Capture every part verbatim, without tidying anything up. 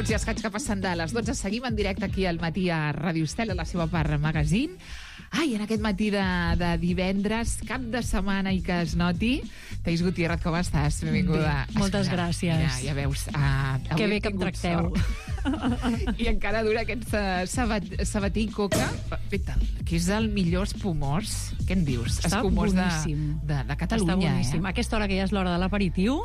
minuts i escaig que passen de les dotze. Seguim en directe aquí al matí a Ràdio Estel, a la seva part magazine. Ai, en aquest matí de, de divendres, cap de setmana i que es noti. Thaís Gutiérrez, com estàs? Benvinguda. Bé, moltes Escolta, gràcies. Mira, ja veus. Uh, que bé que em tracteu. I encara dura aquest uh, sabat, sabatí i coca, que és el millor espumós. Què en dius? Està Espumós boníssim. de, de, de Catalunya. Està boníssim. Eh? A aquesta hora que ja és l'hora de l'aperitiu,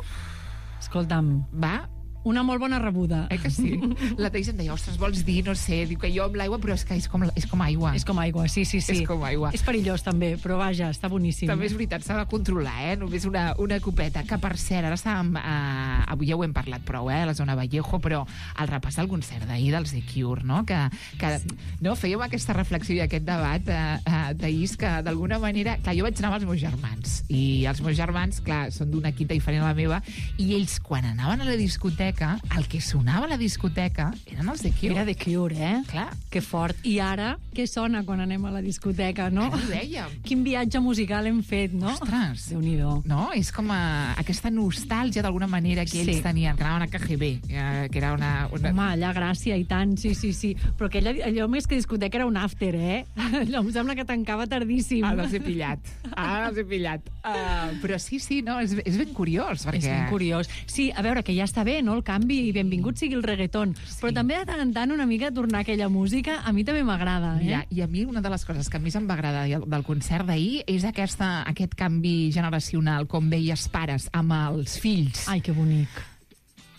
escolta'm, Va... una molt bona rebuda. Eh que sí? La Thaís em deia, ostres, vols dir, no sé, diu que jo amb l'aigua, però és que és com, és com aigua. És com aigua, sí, sí, sí. És com aigua. És perillós, també, però vaja, està boníssim. També és veritat, s'ha de controlar, eh? Només una, una copeta, que per cert, ara estàvem... Eh, avui ja ho hem parlat prou, eh? A la zona Vallejo, però al repàs del concert d'ahir dels The Cure, no? Que, que sí. no, fèiem aquesta reflexió i aquest debat, eh, eh, Thaís, que d'alguna manera... Clar, jo vaig anar amb els meus germans, i els meus germans, clar, són d'una quinta diferent a la meva, i ells, quan anaven a la discoteca, el que sonava a la discoteca eren els The Cure. Era The Cure, eh? Clar. Que fort. I ara, què sona quan anem a la discoteca, no? Ara ho dèiem. Quin viatge musical hem fet, no? Ostres. Déu-n'hi-do. No? És com a, aquesta nostàlgia d'alguna manera que ells Sí. tenien, que anaven a K G B, eh, que era una... una... Home, allà gràcia i tant, sí, sí, sí. Però aquella, allò més que discoteca era un after, eh? Allò em sembla que tancava tardíssim. Ah, els he pillat. Ah, els he pillat. Uh, però sí, sí, no, és, és ben curiós, perquè... És ben curiós. Sí, a veure, que ja està bé, no?, el canvi, i benvingut sigui el reggaeton. Sí. Però també de tant en tant una mica tornar a aquella música, a mi també m'agrada, eh? Mira, i a mi una de les coses que més em va agradar del concert d'ahir és aquesta, aquest canvi generacional, com veies pares amb els fills. Ai, que bonic.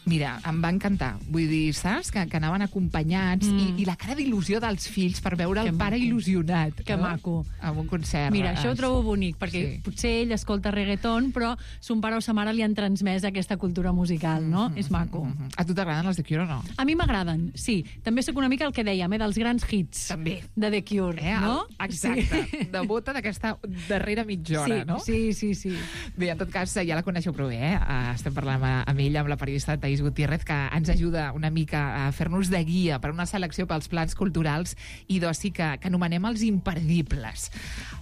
Mira, em va encantar. Vull dir, saps? Que, que anaven acompanyats mm. i, i la cara d'il·lusió dels fills per veure Que el pare maco. il·lusionat. Que no? maco. En un concert. Mira, això ho trobo bonic, perquè Sí. potser ell escolta reggaeton, però son pare o sa mare li han transmès aquesta cultura musical, no? Mm-hmm, És maco. mm-hmm. A tu t'agraden els The Cure o no? A mi m'agraden, sí. També sóc una mica el que dèiem, eh, dels grans hits. També. De The Cure, Eh, no? Exacte. Sí. De bota d'aquesta darrera mitja hora, sí, no? Sí, sí, sí. Bé, en tot cas, ja la coneixeu prou bé, eh? Estem parlant amb, amb ella, amb la periodista Thaís Gutiérrez, que ens ajuda una mica a fer-nos de guia per una selecció pels plans culturals i d'oci que, que anomenem els imperdibles.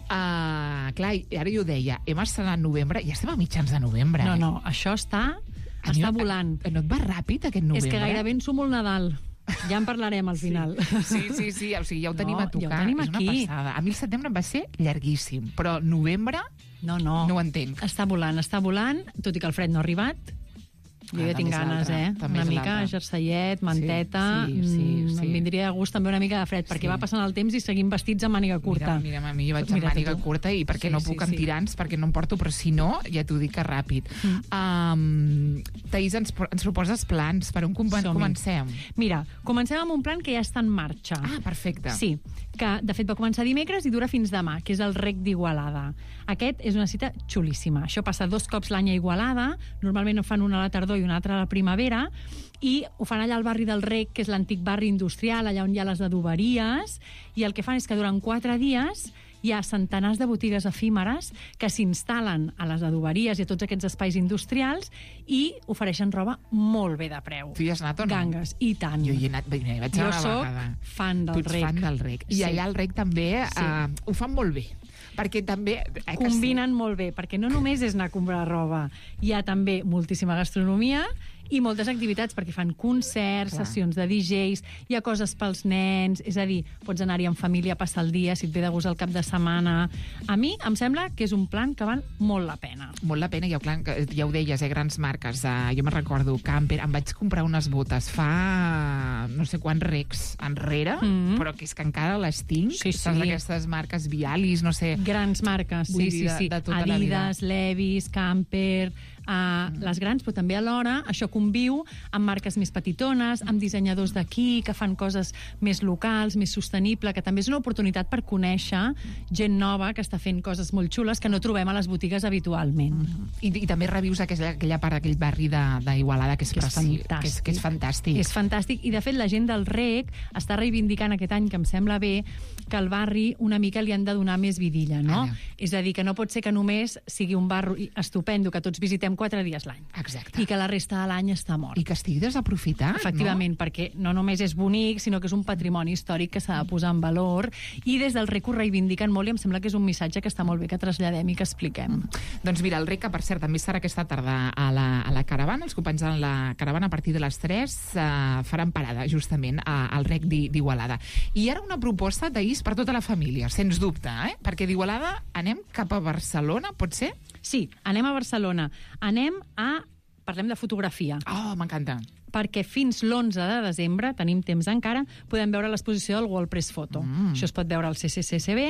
Uh, clar, ara jo deia, hem estrenat novembre, i estem a mitjans de novembre. No, eh? no, això està, A mi està no- volant. No et va ràpid, aquest novembre? És que gairebé ensumo el Nadal. Ja en parlarem al final. Sí, sí, sí, o sigui, ja ho tenim No, a tocar. ja ho tenim és una aquí. passada. A mi el setembre em va ser llarguíssim, però novembre No, no. no ho entenc. Està volant, està volant, tot i que el fred no ha arribat. Jo Ah, ja tinc també és ganes, l'altre, eh? també Una és mica l'altre. jerseillet, manteta... Sí, sí, mm, sí. Em vindria de gust també una mica de fred, perquè Sí. va passant el temps i seguim vestits amb màniga curta. Mira, mira, a mi jo vaig Mira amb màniga tu. curta i perquè Sí, no sí, puc amb sí. tirants, perquè no em porto, però si no, ja t'ho dic que ràpid. Mm. Um, Thaís, ens, ens proposes plans. Per on com Som-hi. comencem? Mira, comencem amb un plan que ja està en marxa. Ah, perfecte. Sí, que de fet va començar dimecres i dura fins demà, que és el Rec d'Igualada. Aquest és una cita xulíssima. Això passa dos cops l'any a Igualada, normalment en fan una a la tardor i una altra a la primavera, i ho fan allà al barri del Rec, que és l'antic barri industrial, allà on hi ha les adoberies, i el que fan és que durant quatre dies hi ha centenars de botigues efímeres que s'instal·len a les adoberies i a tots aquests espais industrials i ofereixen roba molt bé de preu. Tu hi has anat o no? Gangues, i tant. Jo hi he anat, bé, hi vaig Jo anar una soc vegada. fan del Tu ets Rec. fan del Rec. I Sí. allà al Rec també Sí. uh, ho fan molt bé. Perquè també... Eh, que Combinen molt bé, perquè no només és anar a comprar roba, hi ha també moltíssima gastronomia i moltes activitats, perquè fan concerts, Clar. sessions de D Js, hi ha coses pels nens, és a dir, pots anar-hi en família a passar el dia, si et ve de gust el cap de setmana. A mi em sembla que és un plan que val molt la pena. Molt la pena, ja, clar, que ja ho deies, eh, grans marques. Uh, jo me'n recordo, Camper, em vaig comprar unes botes fa no sé quants recs enrere, Mhm. però que és que encara les tinc. Sí, Saps, sí. aquestes marques Vialis, no sé... Grans marques, Vull sí, dir, sí, de- sí. de tota la vida. Adidas, Levi's, Camper, uh, mm. les grans, però també alhora això conviu amb marques més petitones, amb dissenyadors d'aquí, que fan coses més locals, més sostenible, que també és una oportunitat per conèixer gent nova que està fent coses molt xules que no trobem a les botigues habitualment. Mm. I, I també revius aquella, aquella part d'aquell barri d'Igualada que és, Que és preci- fantàstic. que és, que és fantàstic. És fantàstic, i de fet la gent del Rec està reivindicant aquest any, que em sembla bé, que al barri una mica li han de donar més vidilla, no? Ara. És a dir, que no pot ser que només sigui un barri estupendo, que tots visitem quatre dies l'any. Exacte. I que la resta de l'any està mort. I que estigui desaprofitat, Efectivament, no? perquè no només és bonic, sinó que és un patrimoni històric que s'ha de posar en valor, i des del R E C ho reivindiquen molt, i em sembla que és un missatge que està molt bé que traslladem i que expliquem. Mm. Doncs mira, el R E C, que per cert també estarà aquesta tarda a la, a la caravana, els companys de la caravana a partir de les tres eh, faran parada justament a, al R E C d'Igualada. I ara una proposta d'ahís per tota la família, sens dubte, eh? Perquè d'Igualada anem cap a Barcelona, pot ser? Sí, anem a Barcelona. Anem a... Parlem de fotografia. Oh, m'encanta. Perquè fins l'onze de desembre, tenim temps encara, podem veure l'exposició del World Press Photo. Mm. Això es pot veure al C C C S B,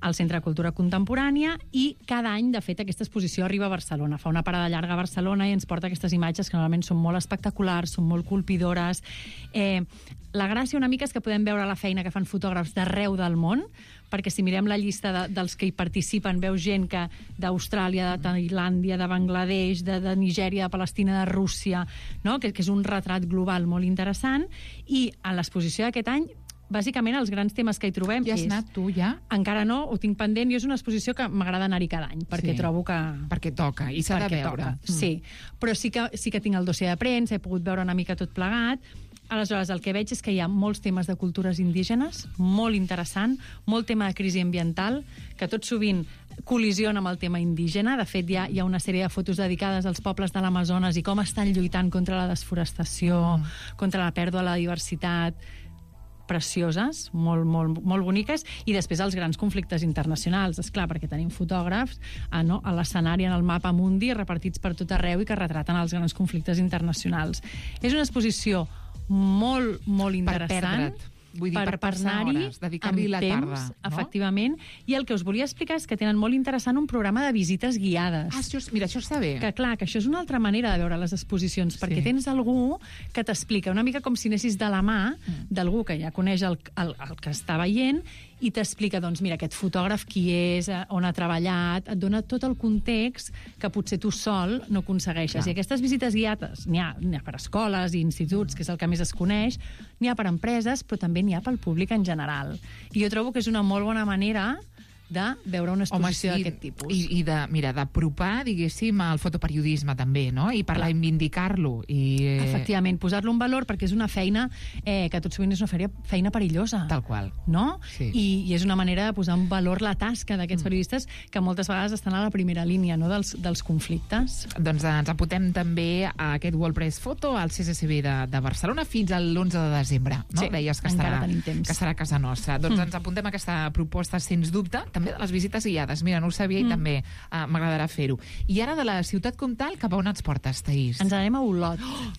al Centre de Cultura Contemporània, i cada any, de fet, aquesta exposició arriba a Barcelona. Fa una parada llarga a Barcelona i ens porta aquestes imatges que normalment són molt espectaculars, són molt colpidores. Eh, la gràcia una mica és que podem veure la feina que fan fotògrafs d'arreu del món, perquè si mirem la llista de, dels que hi participen, veus gent que d'Austràlia, de Tailàndia, de Bangladesh, de, de Nigèria, de Palestina, de Rússia, no? que, que és un retrat global molt interessant, i a l'exposició d'aquest any, bàsicament els grans temes que hi trobem ja has és... anat tu, ja? Encara no, ho tinc pendent, i és una exposició que m'agrada anar-hi cada any, perquè sí. trobo que... Perquè toca, i s'ha de veure. Mm. Sí, però sí que, sí que tinc el dossier de premsa, he pogut veure una mica tot plegat. Aleshores, el que veig és que hi ha molts temes de cultures indígenes, molt interessant, molt tema de crisi ambiental, que tot sovint col·lisiona amb el tema indígena. De fet, hi ha, hi ha una sèrie de fotos dedicades als pobles de l'Amazones i com estan lluitant contra la desforestació, mm. contra la pèrdua de la diversitat, precioses, molt, molt, molt boniques, i després els grans conflictes internacionals, és clar, perquè tenim fotògrafs a, no, a l'escenari, en el mapa mundi, repartits per tot arreu i que retraten els grans conflictes internacionals. És una exposició molt, molt interessant. Per perdre't. Vull dir, per, per passar hores, dedicar-li la temps, tarda. No? Efectivament. I el que us volia explicar és que tenen molt interessant un programa de visites guiades. Ah, això, mira, això està bé. Que clar, que això és una altra manera de veure les exposicions, sí. perquè tens algú que t'explica, una mica com si anessis de la mà mm. d'algú que ja coneix el, el, el que està veient, i t'explica, doncs, mira, aquest fotògraf qui és, on ha treballat, et dona tot el context que potser tu sol no aconsegueixes. Clar. I aquestes visites guiades n'hi ha, n'hi ha per escoles i instituts, que és el que més es coneix, n'hi ha per empreses, però també n'hi ha pel públic en general. I jo trobo que és una molt bona manera de veure una exposició sí, d'aquest tipus. I, i de, mira, d'apropar, diguéssim, el fotoperiodisme també, no? I per reivindicar-lo. I... Efectivament, posar-lo en valor, perquè és una feina eh, que tot sovint és una feina, feina perillosa. Tal qual. No? Sí. I, I és una manera de posar en valor la tasca d'aquests mm. periodistes que moltes vegades estan a la primera línia, no?, dels, dels conflictes. Doncs ens apuntem també a aquest World Press Photo al C C C B de, de Barcelona fins a l'onze de desembre, no? Sí, Deies que estarà, que estarà a casa nostra. Doncs mm. ens apuntem a aquesta proposta, sens dubte, també de les visites guiades. Mira, no ho sabia i mm. també uh, m'agradarà fer-ho. I ara de la ciutat comtal, cap a on ens portes, Taís? Ens anem a Olot. Oh!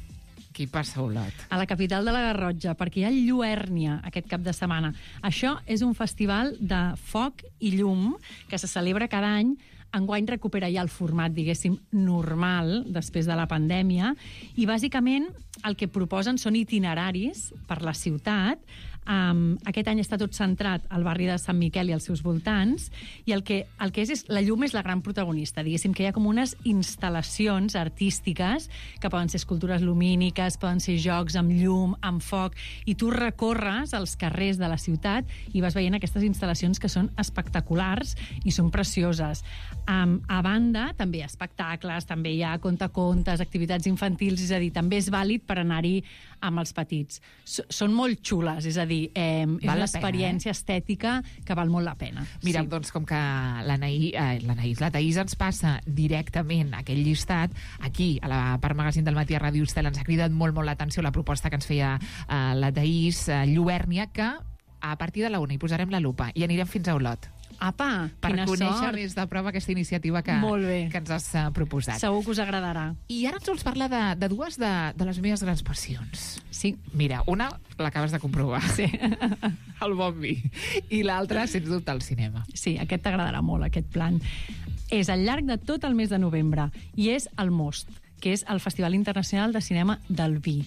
Qui passa a Olot? A la capital de la Garrotxa, perquè hi ha Lluèrnia aquest cap de setmana. Això és un festival de foc i llum que se celebra cada any. Enguany recupera ja el format, diguéssim, normal, després de la pandèmia, i bàsicament el que proposen són itineraris per la ciutat. Um, aquest any està tot centrat al barri de Sant Miquel i als seus voltants, i el que, el que és, és la llum és la gran protagonista. Diguéssim que hi ha com unes instal·lacions artístiques que poden ser escultures lumíniques, poden ser jocs amb llum, amb foc, i tu recorres als carrers de la ciutat i vas veient aquestes instal·lacions que són espectaculars i són precioses. Um, a banda, també hi ha espectacles, també hi ha contacontes, activitats infantils, és a dir, també és vàlid per anar-hi amb els petits. S són molt xules, és a dir, eh, és una experiència eh? estètica que val molt la pena. Mira, sí. doncs com que l'Anaïs, eh, l'Anaïs, la Taís ens passa directament aquell llistat, aquí, a la part magazín del Matí a Ràdio Estel, ens ha cridat molt, molt l'atenció la proposta que ens feia eh, la Taís eh, Lluèrnia, que a partir de la una hi posarem la lupa i anirem fins a Olot. Apa, per quina conèixer sort. més de prova aquesta iniciativa que, que ens has uh, proposat. Segur que us agradarà. I ara ens vols parlar de, de dues de, de les meves grans passions. Sí. Mira, una l'acabes de comprovar. Sí. El bon vi. I l'altra, sens dubte, el cinema. Sí, aquest t'agradarà molt, aquest plan. És al llarg de tot el mes de novembre i és el Most, que és el Festival Internacional de Cinema del Vi.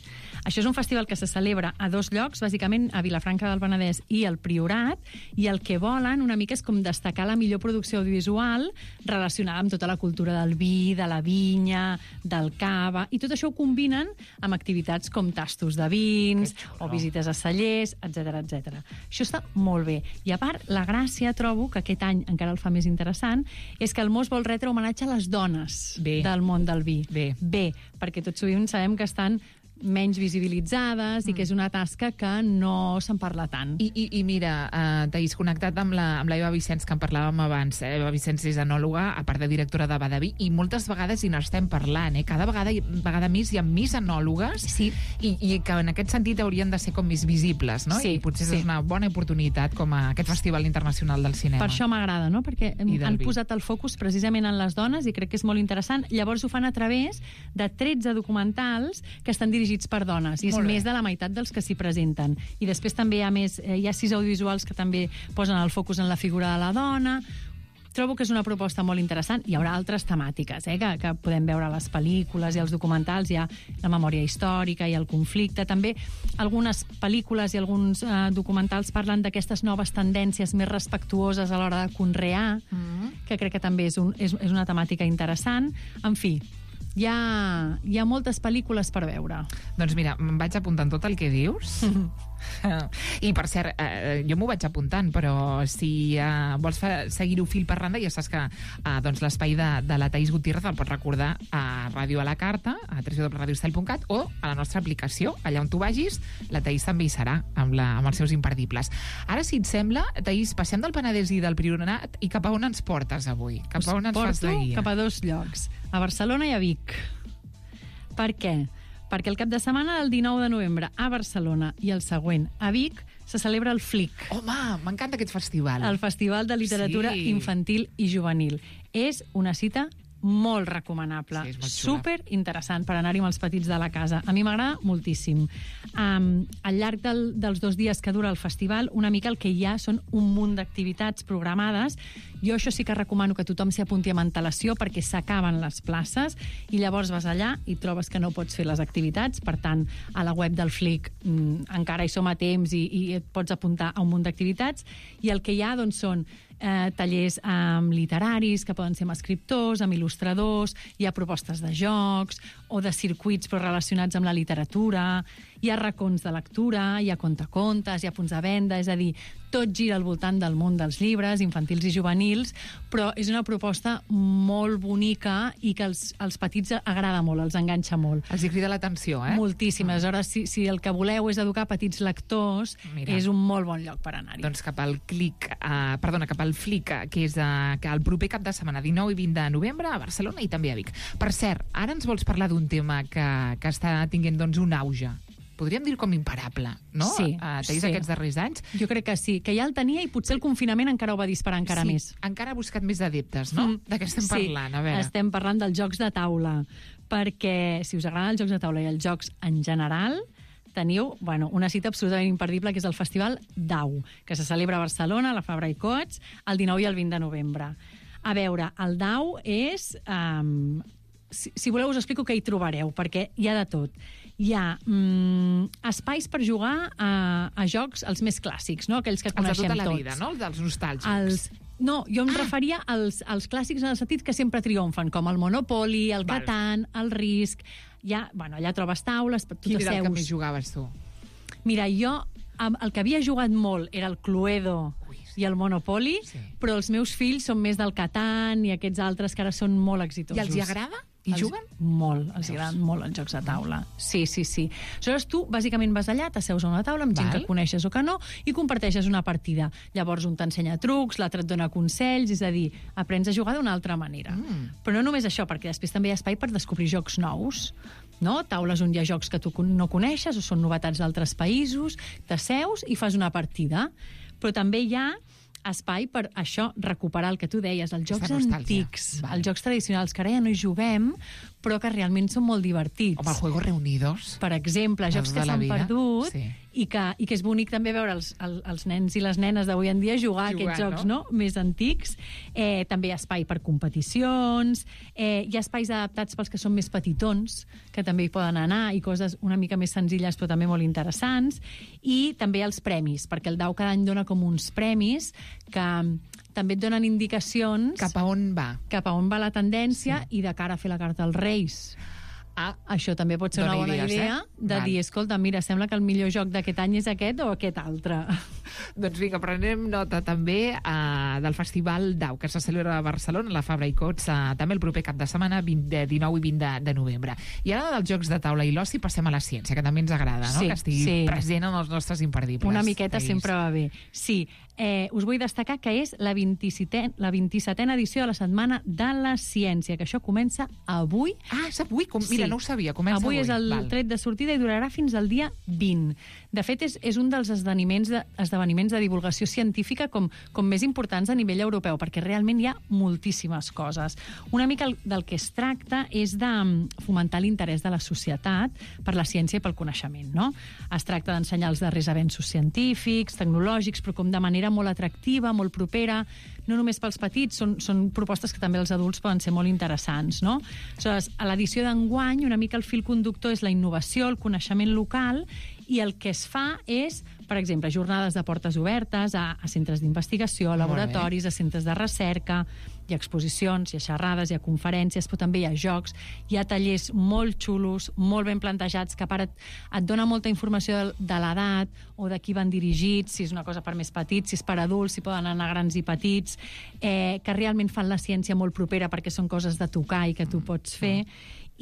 Això és un festival que se celebra a dos llocs, bàsicament a Vilafranca del Penedès i al Priorat, i el que volen una mica és com destacar la millor producció audiovisual relacionada amb tota la cultura del vi, de la vinya, del cava, i tot això ho combinen amb activitats com tastos de vins o visites a cellers, etcètera, etcètera. Això està molt bé. I a part, la gràcia, trobo, que aquest any encara el fa més interessant, és que el Mos vol retre homenatge a les dones bé. del món del vi. Bé. Bé, perquè tot sovint sabem que estan menys visibilitzades mm. i que és una tasca que no se'n parla tant. I, i, i mira, uh, Taís, connectat amb la, amb la Eva Vicenç, que en parlàvem abans. Eh? Eva Vicenç és enòloga, a part de directora de Badaví, i moltes vegades hi n'estem parlant. Eh? Cada vegada, vegada més hi ha més enòlogues sí. i, i que en aquest sentit haurien de ser com més visibles, no? Sí, I potser sí. és una bona oportunitat com a aquest Festival Internacional del Cinema. Per això m'agrada, no? Perquè han vi. posat el focus precisament en les dones i crec que és molt interessant. Llavors ho fan a través de tretze documentals que estan dirigits per dones. I és més de la meitat dels que s'hi presenten. I després també hi ha més, eh, hi ha sis audiovisuals que també posen el focus en la figura de la dona. Trobo que és una proposta molt interessant. Hi haurà altres temàtiques, eh, que, que podem veure a les pel·lícules i als documentals. Hi ha la memòria històrica i el conflicte. També algunes pel·lícules i alguns eh, documentals parlen d'aquestes noves tendències més respectuoses a l'hora de conrear, mm. que crec que també és, un, és, és una temàtica interessant. En fi, Hi ha, hi ha moltes pel·lícules per veure. Doncs mira, em vaig apuntant tot el que dius. I, per cert, eh, jo m'ho vaig apuntant, però si eh, vols seguir-ho fil per randa, ja saps que eh, doncs l'espai de, de la Taís Gutiérrez el pots recordar a Ràdio a la Carta, a w w w punt radio estel punt cat, o a la nostra aplicació. Allà on tu vagis, la Taís també hi serà, amb, la, amb els seus imperdibles. Ara, si et sembla, Taís, passem del Penedès i del Priorat, i cap a on ens portes avui? Cap a on ens fas la guia? Cap a dos llocs, a Barcelona i a Vic. Per què? Perquè el cap de setmana del dinou de novembre a Barcelona i el següent a Vic se celebra el Flic. Home, m'encanta aquest festival. El Festival de Literatura sí. Infantil i Juvenil. És una cita molt recomanable, sí, super interessant per anar-hi amb els petits de la casa. A mi m'agrada moltíssim. Um, al llarg del, dels dos dies que dura el festival, una mica el que hi ha són un munt d'activitats programades. Jo això sí que recomano que tothom s'hi apunti amb antelació perquè s'acaben les places i llavors vas allà i trobes que no pots fer les activitats. Per tant, a la web del Flic mm, encara hi som a temps i, i et pots apuntar a un munt d'activitats. I el que hi ha doncs, són eh, tallers um, literaris que poden ser amb escriptors, amb il·lustradors, hi ha propostes de jocs o de circuits però relacionats amb la literatura, hi ha racons de lectura, hi ha contacontes, hi ha punts de venda, és a dir, tot gira al voltant del món dels llibres, infantils i juvenils, però és una proposta molt bonica i que als, als petits agrada molt, els enganxa molt. Els hi crida l'atenció, eh? Moltíssim. Mm. Aleshores, si, si el que voleu és educar petits lectors, Mira. és un molt bon lloc per anar-hi. Doncs cap al clic, uh, perdona, cap al Flic, que és uh, que el proper cap de setmana, dinou i vint de novembre, a Barcelona i també a Vic. Per cert, ara ens vols parlar d'un tema que, que està tinguent doncs, un auge. Podríem dir com imparable, no? Sí. Uh, Taís, sí. aquests darrers anys. Jo crec que sí, que ja el tenia i potser el confinament encara ho va disparar encara sí, més. Encara ha buscat més adeptes, no? Mm. De què estem sí. parlant? A veure. Estem parlant dels jocs de taula, perquè si us agraden els jocs de taula i els jocs en general, teniu bueno, una cita absolutament imperdible, que és el Festival Dau, que se celebra a Barcelona, a la Fabra i Coats, el dinou i el vint de novembre. A veure, el Dau és... Um, si, si voleu us explico què hi trobareu, perquè hi ha de tot. Hi ha mm, espais per jugar a, a jocs, els més clàssics, no? Aquells que coneixem tots. Els de tota la tots. vida, no? Els dels nostàlgics. Els... No, jo em ah. referia als, als clàssics en el sentit que sempre triomfen, com el Monopoly, el Val. Catan, el Risk... Ja, bueno, allà trobes taules... Quin era el que més jugaves, tu? Mira, jo el que havia jugat molt era el Cluedo Ui, sí. i el Monopoly, sí. però els meus fills són més del Catan i aquests altres que ara són molt exitosos. I els hi agrada? I els, juguen? Molt, els agraden molt els jocs de taula. Sí, sí, sí. Aleshores tu, bàsicament, vas allà, t'asseus a una taula amb gent Val. que coneixes o que no, i comparteixes una partida. Llavors un t'ensenya trucs, l'altre et dona consells, és a dir, aprens a jugar d'una altra manera. Mm. Però no només això, perquè després també hi ha espai per descobrir jocs nous, no? Taules on hi ha jocs que tu no coneixes o són novetats d'altres països, t'asseus i fas una partida. Però també hi ha espai per això, recuperar el que tu deies, els jocs antics, Val. els jocs tradicionals, que ara ja no hi juguem, però que realment són molt divertits. Home, el Juego Reunidos. Per exemple, jocs Els que de la s'han vida, perdut sí. i, que, i que és bonic també veure els, els, els nens i les nenes d'avui en dia jugar, jugar a aquests jocs, no? no? més antics. Eh, també hi ha espai per competicions, eh, hi ha espais adaptats pels que són més petitons, que també hi poden anar, i coses una mica més senzilles però també molt interessants, i també els premis, perquè el D A U cada any dona com uns premis que també et donen indicacions Cap a on va. cap a on va la tendència, sí. i de cara a fer la carta als Reis. Ah, Això també pot ser una bona idees, idea eh? de Val. dir, escolta, mira, sembla que el millor joc d'aquest any és aquest o aquest altre. Doncs vinga, prenem nota també uh, del Festival D A U, que se celebra a Barcelona, a la Fabra i Cots, uh, també el proper cap de setmana, vint, dinou i vint de, de novembre. I ara dels jocs de taula i l'oci passem a la ciència, que també ens agrada, no? Sí, que estigui sí. present en els nostres imperdibles. Una miqueta Taís. sempre va bé. Sí, eh, us vull destacar que és la vint-i-setena edició de la Setmana de la Ciència, que això comença avui. Ah, és avui? Com, mira, Sí. no ho sabia, comença avui. Avui és el Val. tret de sortida i durarà fins al dia vint. De fet, és, és un dels esdeveniments de, esdeveniments de divulgació científica com, com més importants a nivell europeu, perquè realment hi ha moltíssimes coses. Una mica el, del que es tracta és de fomentar l'interès de la societat per la ciència i pel coneixement, no? Es tracta d'ensenyar els darrers avenços científics, tecnològics, però com de manera molt atractiva, molt propera, no només pels petits, són, són propostes que també els adults poden ser molt interessants, no? Aleshores, a l'edició d'enguany, una mica el fil conductor és la innovació, el coneixement local, i el que es fa és, per exemple, jornades de portes obertes a, a centres d'investigació, a laboratoris, a centres de recerca, hi ha exposicions, hi ha xerrades, hi ha conferències, però també hi ha jocs, hi ha tallers molt xulos, molt ben plantejats, que a part et, et dona molta informació de, de l'edat o de qui van dirigits, si és una cosa per més petits, si és per adults, si poden anar grans i petits, eh, que realment fan la ciència molt propera perquè són coses de tocar i que tu pots fer.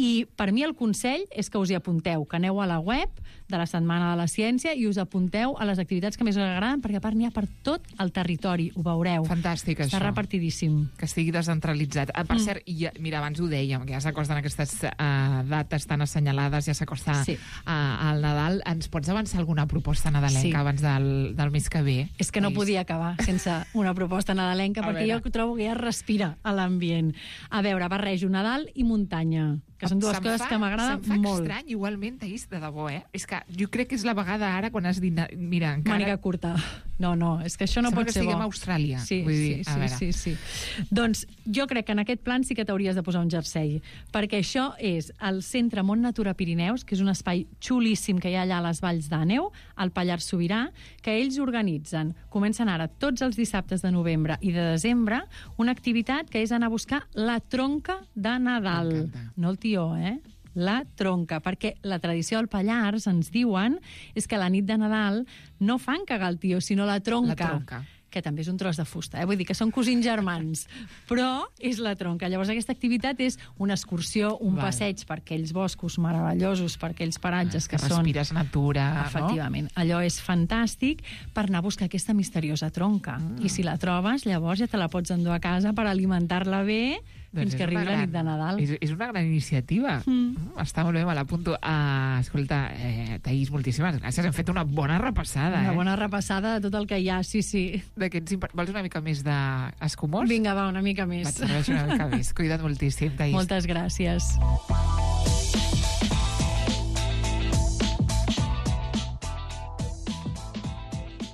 I per mi el consell és que us hi apunteu, que aneu a la web de la Setmana de la Ciència i us apunteu a les activitats que més us agraden, perquè a part n'hi ha per tot el territori, ho veureu. Fantàstic, Està això. repartidíssim. Que estigui descentralitzat. Ah, per Mm. cert, ja, mira, abans ho dèiem, que ja s'acosten aquestes uh, dates tan assenyalades, ja s'acosta Sí. uh, al Nadal. Ens pots avançar alguna proposta nadalenca Sí. abans del, del mes que ve? És que no Taís? podia acabar sense una proposta nadalenca, A perquè veure. jo trobo que ja es respira a l'ambient. A veure, barrejo Nadal i muntanya, que són dues Se'm coses fa- que m'agraden Se'm fa molt. estrany, igualment, Taís, de debò, eh? És que jo crec que és la vegada ara quan has dit... Mira, encara... Màniga curta. No, no, és que això no Sembla pot que ser bo. estiguem a Austràlia. Sí, Vull dir, sí, a sí, veure. sí, sí. Doncs jo crec que en aquest plan sí que t'hauries de posar un jersei, perquè això és el Centre Mont Natura Pirineus, que és un espai xulíssim que hi ha allà a les Valls d'Àneu, al Pallars Sobirà, que ells organitzen, comencen ara tots els dissabtes de novembre i de desembre, una activitat que és anar a buscar la tronca de Nadal. M'encanta. No el tió, eh? La tronca, perquè la tradició del Pallars, ens diuen, és que a la nit de Nadal no fan cagar el tio, sinó la tronca. La tronca. Que també és un tros de fusta, eh? Vull dir que són cosins germans, però és la tronca. Llavors aquesta activitat és una excursió, un Val. passeig per aquells boscos meravellosos, per aquells paratges que, que són... respires natura, Efectivament. Allò és fantàstic per anar a buscar aquesta misteriosa tronca. Mm. I si la trobes, llavors ja te la pots endur a casa per alimentar-la bé Doncs fins és que arribi una la gran- nit de Nadal. És, és una gran iniciativa. Mm. Mm, està molt bé, me l'apunto. Uh, escolta, eh, Taís, moltíssimes gràcies. Hem fet una bona repassada. Una eh? bona repassada de tot el que hi ha, sí, sí. D'aquests imp- Vols una mica més d'escumós? Vinga, va, una mica més. Vaig serveixi una mica més. Cuida't moltíssim, Taís. Moltes gràcies.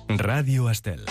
Ràdio Estel.